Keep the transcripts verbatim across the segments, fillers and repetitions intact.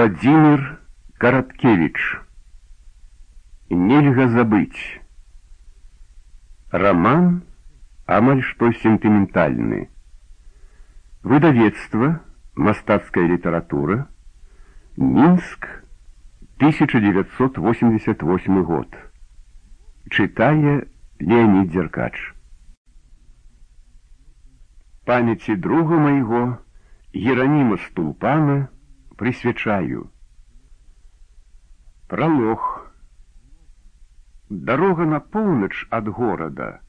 Владимир Караткевич. Нельга забыть. Роман амаль што сентыментальны. Выдавецтва «Мастацкая литература», Минск, тысяча девятьсот восемьдесят восьмой год. Читая Леонид Деркач. Памяти друга моего Еронима Стулпана присвячаю. Пролог. Дорога на поўнач ад горада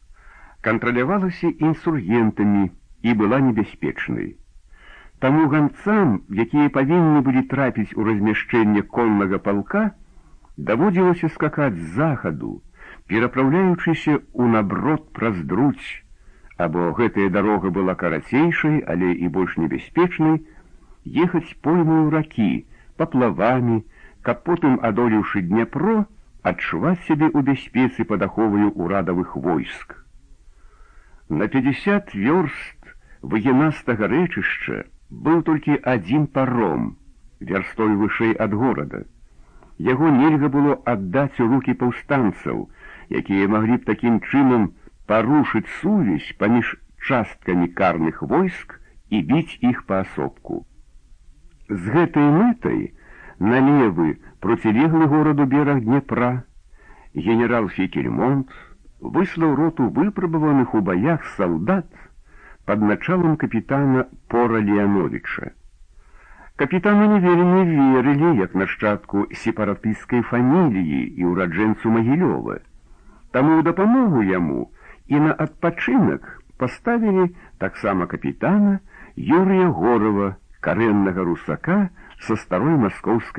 кантралявалася інсургентамі і была небяспечнай. Таму ганцам, якія павінны былі трапіць у размяшчэнне коннага палка, даводзілася скакаць з захаду, перапраўляючыся ў наброд праз друць, або гэтая дарога была карацейшай, але і больш небяспечнай, ехаць поймаю ракі, паплавамі, каб потым, адолеўшы Дняпро, адчуваць сябе ў бяспецы пад аховаю ўрадавых войск. На пятьдесят вёрст выгінастага рэчышча быў толькі адзін паром, вярстой вышэй ад горада. Яго нельга было аддаць у рукі паўстанцаў, якія маглі б такім чынам парушыць сувязь паміж часткамі карных войск і біць іх паасобку. З гэтай мэтай на левы, процілеглы гораду бераг Дняпра, генерал Фікельмонт выслаў роту выпрабаваных у баях салдат пад началам капітана Пора Леановича. Капітану не вельмі верылі, як нашчадку сепаратысцкай фаміліі і ўраджэнцу Магілёва. Таму ў дапамогу яму і на адпачынак паставілі таксама капітана Юрія Горава, карэннага русака са старой маскоўскай